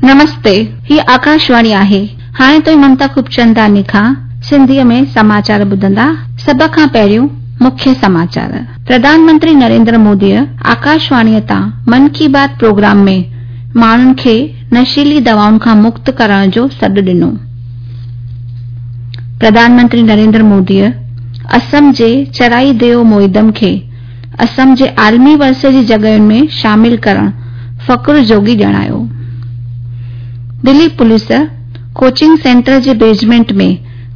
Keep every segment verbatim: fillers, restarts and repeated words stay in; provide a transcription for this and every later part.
نمستي، هي آڪاشواڻي آهي. هاڻي توهين ممتا خوبچنداڻي کان سنڌيء ۾ سماچار ٻڌندا. سڀ کان پهريون مکيه سماچار. پرڌان منتري نريندر موديء آڪاشواڻيء تان من ڪي بات پروگرام ۾ ماڻهن کي نشيلي دوائن کان مڪت ڪرڻ جو سڏ ڏنو. پرڌان منتري نريندر موديء اسم جي چرائي ديو موئدم کي اسم جي عالمي ورثي جي جڳهين ۾ شامل ڪرڻ فخر جوڳي ڄاڻايو. دلي پوليس ڪوچنگ سينٽر جي بيسمينٽ ۾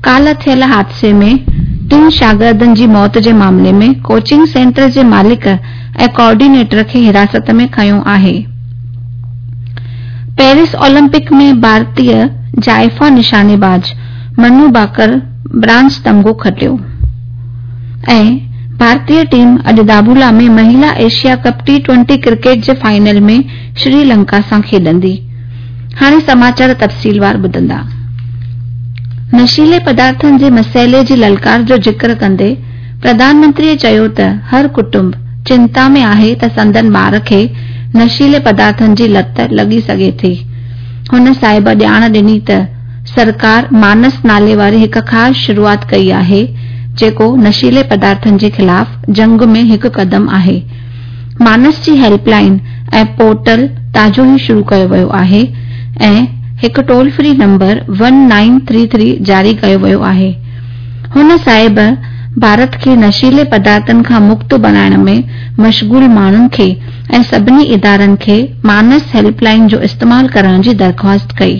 ڪالهه ٿيل حادثي ۾ ٽن شاگردن جي موت جي معاملي ۾ ڪوچنگ سينٽر جي مالڪ ۽ ڪوآرڊينيٽر کي حراست ۾ کنيو آهي. پيرس اولمپڪ ۾ ڀارتي زائفان نشاني باز منو ڀاڪر برانز تمغو کٽيو ۽ ڀارتي ٽيم اڄ دامبولا ۾ مهلا Asia cup T twenty cricket جي فائنل ۾ سري لنڪا سان کيڏندي. هاڻي سماچار تفصيلوار ٻڌندا. نشيلي پدارٿن جي مسئلي جي للڪار جو ذڪر ڪندي پرڌان منتريء چيو ته هر ڪٽنب چنتا ۾ آهي ته سندن ٻار کي نشيلي پدارٿن جي لت لڳي سگهي ٿي. هن صاحب ڄاڻ ڏني ته سرڪار مانس نالي واري هڪ خاص شروعات ڪئي آهي، جيڪو نشيلي پدارٿن جي خلاف جنگ ۾ هڪ قدم آهي. مانس جي هيلپ لائين ۽ پورٽل تازو ئي شروع ڪيو ويو آهي ۽ هڪ toll free number one nine three three جاري ڪيو ويو آهي. هن صاحب ڀارت کي نشيلي پدارٿن کان مڪت بڻائڻ ۾ مشغول ماڻهن کي ۽ سڀني ادارن کي مانس هيلپ لائين جو استعمال ڪرڻ جي درخواست ڪئي.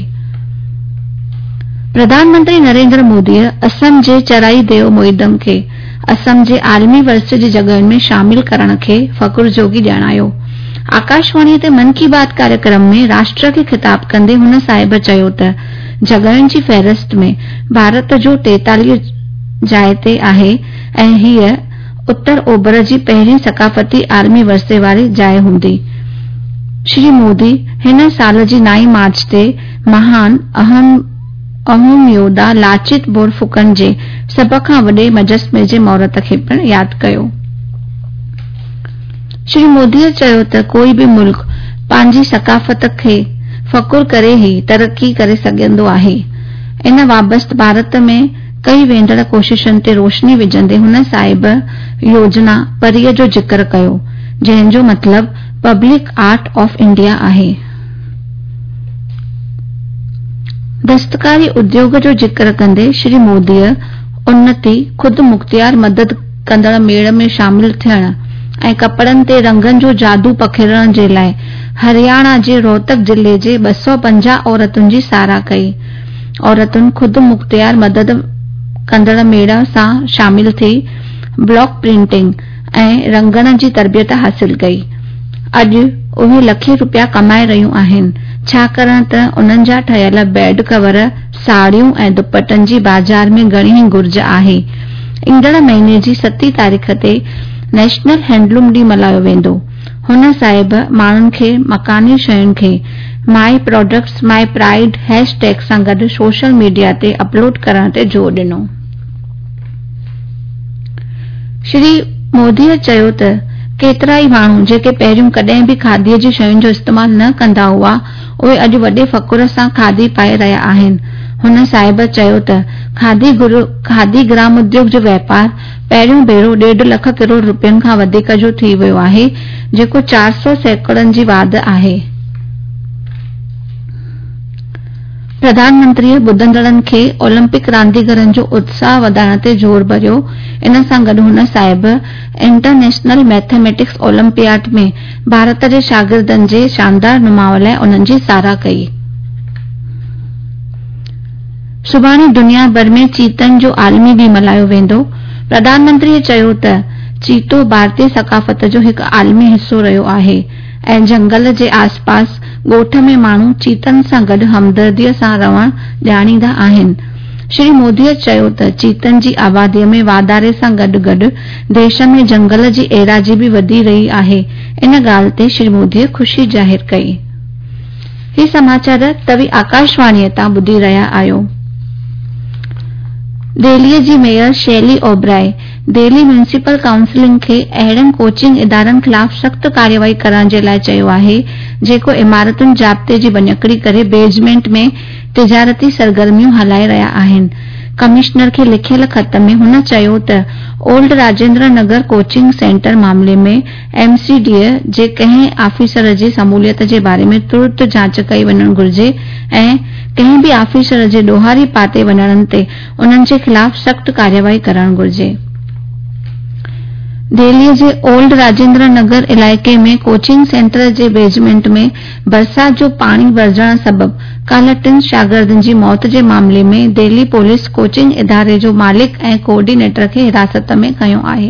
پرڌان منتري نريندر موديء اسم جي چرائي ديو موئدم کي اسم جي عالمي ورثي جي جڳهين ۾ شامل ڪرڻ کي فخر جوڳي ڄاڻايو. آڪاشواڻيء تي من ڪي بات ڪاريڪرم ۾ راشٽر کي خطاب ڪندي هن صاحب چيو ته جڳهين جي فهرست ۾ ڀارت جو ٽيتاليهه جاء تي آهي ۽ هيء اتر اوڀر جي پهرين ثقافتي عالمي ورثي واري جاء هوندي. شري مودي هن سال جي نائين مارچ تي مهان اهم يوڌا لاچت بورڦڪن جي سڀ کان وڏي مجسمي جي مهورت کي پڻ ياد ڪيو. شري موديء چيو ته ڪوئي به ملڪ پنهنجي ثقافت کي فخر ڪري ئي ترقي ڪري سگهندو آهي. ان بابت ڀارت ۾ ڪئي ويندڙ ڪوششن تي روشني وجهندي هن صاحب يوجنا پريء جو ذڪر ڪيو، جنهن جو مطلب پبلڪ آرٽ آف انڊيا آهي. دستڪاري اديوگ جو ذڪر ڪندي شري موديء انتي خود مختيار مدد ڪندڙ ميڙ ۾ شامل ٿيڻ ۽ ڪپڙن تي رنگن جو جادو پکيڙڻ جي لاء هرياڻا جي روهتڪ ضلعي جي ٻه سؤ پنجاهه عورتن جي ساراهه ڪئي. عورتن خود مختيار مدد ڪندڙ ميڙ سان شامل ٿي بلاڪ پرنٽنگ ۽ رنگڻ جي تربيت حاصل ڪئي. اڄ اهي لکين روپيا ڪمائي رهيون آهن، ڇاڪاڻ ته انهن جا ٺهيل بيڊ ڪور، ساڙهيون ۽ دوپٽن جي بازار ۾ گهڻي ئي گهرج آهي. ايندڙ مهيني جي ستين تاريخ تي نيشنل هينڊلوم ڏينهن ملهايو ويندو. هن صاحب ماڻهن کي مڪاني شين کي my products my pride hashtag سان گڏ سوشل ميڊيا تي اپلوڊ ڪرڻ تي زور ڏنو. شري موديء چيو ته ڪيترائي ماڻهو جيڪي پهريون ڪڏهن به کاديء جي شين جو استعمال نه ڪندا هئا، اهي اڄ وڏي فخر سان کادي پائي رهيا آهن. هن صاحب چيو ته کادي کادي گرام اديوگ جو واپار پهريون ڀيرو ڏيڍ لک ڪروڙ روپين کان وڌيڪ جو ٿي ويو آهي، جيڪو چار سؤ سيڪڙن جي واڌ آهي. پرڌان منتريء ٻڌندڙن کي اولمپڪ رانديگرن جو اتساهه وڌائڻ تي زور ڀريو. ان سان گڏ هن صاحب انٽرنيشنل ميٿميٽڪس اولمپياڊ ۾ ڀارت جي شاگردن جي شاندار نماء لاء انهن جي ساراهه ڪئي. سڀاڻي دنيا ڀر ۾ چيتن جو عالمي ڏينهن ملهايو ويندو. پرڌان منتريء چيو ته چيتو ڀارتي ثقافت جو هڪ عالمي حصو رهيو آهي ۽ جهنگل جي آسپاس ڳوٺ ۾ ماڻهو چيتن سان گڏ همدرديء سان رهڻ ڄاڻيندا آهن. شري موديء چيو ته چيتن جي آباديء ۾ واڌاري سان گڏ گڏ ديش ۾ جهنگل جي ايراضي به وڌي رهي آهي. ان ڳالهه تي شري موديء خوشي ظاهر ڪئي. هي سماچار توهين آڪاشواڻيء تان ٻڌي رهيا آهيو. دهليءَ جي mayor Shaili Oberoi Delhi municipal council کي اهڙن ڪوچنگ ادارن خلاف سخت ڪارروائي ڪرڻ جي لاءِ چيو آهي، جيڪو عمارتن ضابطي جي ڀڃڪڙي ڪري بيسمينٽ ۾ تجارتي سرگرميون هلائي رهيا آهن. ڪمشنر کي لکيل خط ۾ هن چيو ته old Rajendra Nagar coaching centre معاملي ۾ ايم سي ڊي جي ڪنهن آفيسر جي شموليت جي باري ۾ ترت جاچ ڪئي وڃڻ گهرجي ۽ ڪنهن به آفيسر جي ڏوهاري پاتي وڃڻ تي انهن جي خلاف سخت ڪارروائي ڪرڻ گهرجي. دهليءَ جي اولڊ راجيندر نگر علائقي ۾ ڪوچنگ سينٽر جي بيسمينٽ ۾ برسات جو پاڻي ڀرجڻ سبب ڪالهه ٽن شاگردن جي موت جي معاملي ۾ دهلي پوليس ڪوچنگ اداري جو مالڪ ۽ ڪوآرڊينيٽر کي حراست ۾ کنيو آهي.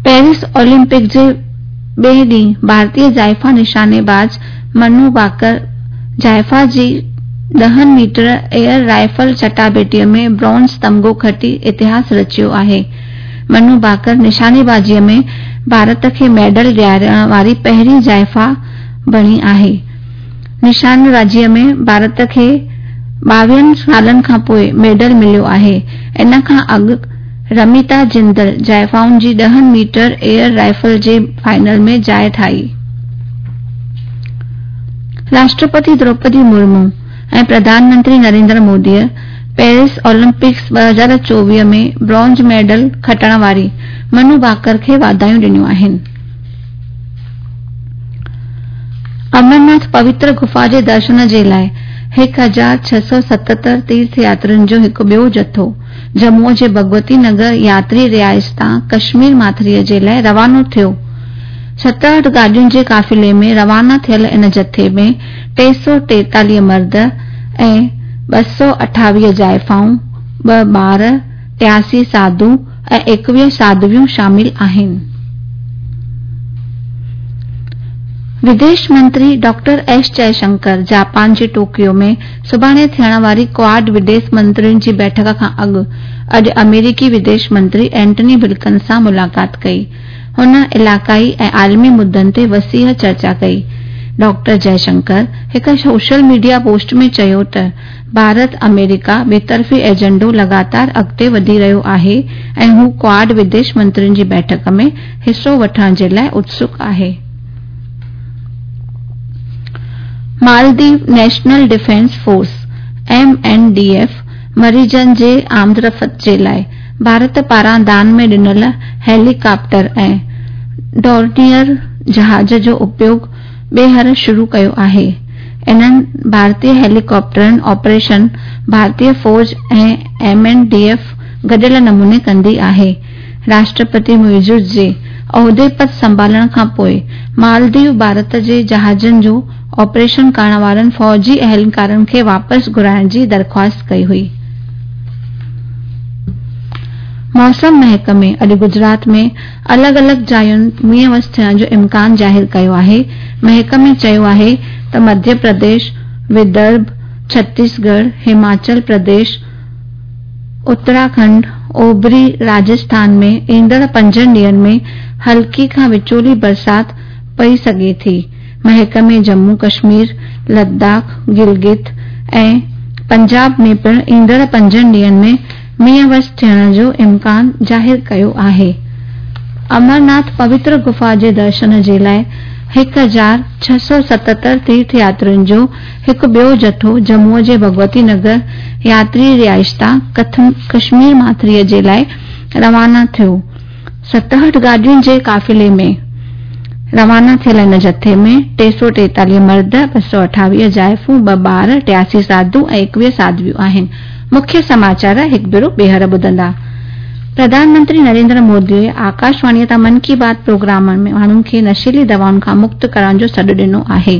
پيرس اولمپڪ جي ٻئي ڏينهن ڀارتيه زائفا نشانيباز منو باڪر زائفا جي ڏهن ميٽر ايئر رائفل چٽاڀيٽيءَ ۾ برونز تمغو کٽي اتهاس رچيو آهي. منو باڪر نشانيبازيءَ ۾ ڀارت کي ميڊل ڏيارڻ واري پهرين زائفا بڻي آهي. نشانيبازيءَ ۾ ڀارت کي ٻاويهن سالن کان پوءِ ميڊل مليو آهي. ان کان اڳ رميتا جندل زائفائن جي ڏهن ميٽر ايئر رائفل جي فائنل ۾ جاءِ ٺاهي. راشٽرپتي دروپدي مرمو ۽ پرڌان منتري نريندر موديءَ پيرس اولمپڪس ٻه هزار چوويهه ۾ برونز ميڊل کٽڻ واري منو باڪر کي واڌايون ڏنيون آهن. امرناٿ پوتر گفا جي درشن جي لاءِ هڪ هزار ڇهه سؤ ستهتر تيرٿ ياترين جو هڪ ٻيو جٿو ڄمون جي ڀڳوتي نگر ياتري رهائش تان ڪشمير ماٿريءَ جي لاءِ روانو ٿيو. ستهٺ گاڏين جي قافلي ۾ روانا ٿيل ان جٿي ۾ ٽي سؤ ٽيتاليهه مرد ۽ ٻه سؤ اٺاويهه زائفائون، ٻه ٻار، ٽياسي ساڌو ۽ ايڪويهه ساڌويون شامل آهن. وديش منتري ڊاڪٽر ايس جئشنڪر جاپان جي ٽوڪيو ۾ سڀاڻي ٿيڻ واري ڪواڊ وديش منترين جي بيٺڪ کان اڳ اڄ آمريڪي وديش منتري اينٽني بلڪن سان ملاقات ڪئي. هن علائقائي ۽ عالمي مدعن تي وسيع چرچا ڪئي. ڊاڪٽر جئشنڪر هڪ سوشل ميڊيا پوسٽ ۾ چيو ته ڀارت آمريڪا ٻطرفي ايجنڊو لڳاتار اڳتي وڌي رهيو آهي ۽ هو ڪواڊ وديش منترين جي بيٺڪ ۾ حصو وٺڻ جي لاءِ اتسڪ آهي. Maldives national defence force M N D F مريضن جي آمدرفت جي لاءِ ڀارت پاران دان ۾ ڏنل هيليڪاپٽر ۽ ڊورنيئر جهاز جو اپيوگ ٻيهر شروع ڪيو آهي. انهن ڀارتيه هيليڪاپٽرن آپريشن ڀارتيه فوج ۽ ايم اين ڊي ايف گڏيل نموني ڪندي آهي. راشٽرپتي معيزو جي عهدي پد سنڀالڻ کان پوءِ مالديو ڀارت جي جهازن جو آپريشن ڪرڻ وارن فوجي اهلڪارن کي واپس گهرائڻ جي درخواست ڪئي هئي. موسم محڪمي اڄ گجرات ۾ الڳ الڳ جاين مينهن وس ٿيڻ جو امڪان ظاهر ڪيو آهي. محڪمي چيو آهي ته مڌيه پرديش، ودرڀ، ڇتيسڳڙهه، هماچل پرديش، اتراکنڊ، اوڀري راجسٿان ۾ ايندڙ پنجن ڏينهن ۾ هلڪي کان وچولي برسات پئي سگهي ٿي. محڪمي ڄمون ڪشمير، لداخ، گلگت ۽ پنجاب ۾ پڻ ايندڙ پنجن ڏينهن ۾ مينهن وس ٿيڻ جو امڪان ظاهر ڪيو آهي. امرناٿ پوتر گفا جي درشن جي لاءِ هڪ هزار ڇهه سؤ ستهتر تيرٿ ياترين جو هڪ ٻيو جٿو ڄمون جي ڀڳوتي نگر ياتري رهائش تان ڪشمير ماٿريءَ جي لاءِ روانا ٿيو. ستهٺ گاڏين جي قافلي ۾ روانا ٿيل ان جٿي ۾ ٽي سؤ ٽيتاليهه مرد، ٻه سؤ اٺاويهه زائفون، ٻه ٻار، ٽياسي ساڌو ۽ ايڪويهه ساڌويون آهن. مکيه سماچار هڪ ڀيرو ٻيهر ٻڌندا. پرڌان منتري نريندر موديءَ آڪاشواڻيءَ تان من ڪي بات پروگرام ۾ ماڻهن کي نشيلي دوائن کان مڪت ڪرڻ جو سڏ ڏنو آهي.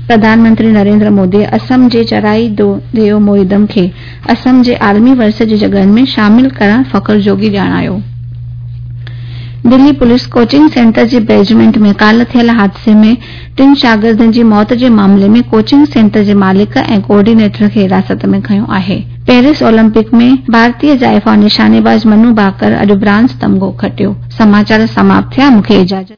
پرڌان منتري نريندر موديءَ اسم جي چرائي ديو موئدم کي اسم جي عالمي ورثي جي جڳهن ۾ شامل ڪرڻ فخر جوڳي ڄاڻايو. دلي پوليس ڪوچنگ سينٽر جي بيسمينٽ ۾ ڪالهه ٿيل حادثي ۾ ٽن شاگردن جي موت جي معاملي ۾ ڪوچنگ سينٽر جي مالڪ ۽ ڪوآرڊينيٽر کي حراست ۾ کنيو آهي. پيرس اولمپڪ ۾ ڀارتيه زائفا نشانيباز منو ڀاڪر اڄ برانز تمغو کٽيو. سماچار سماپت ٿيا. مون کي اجازت.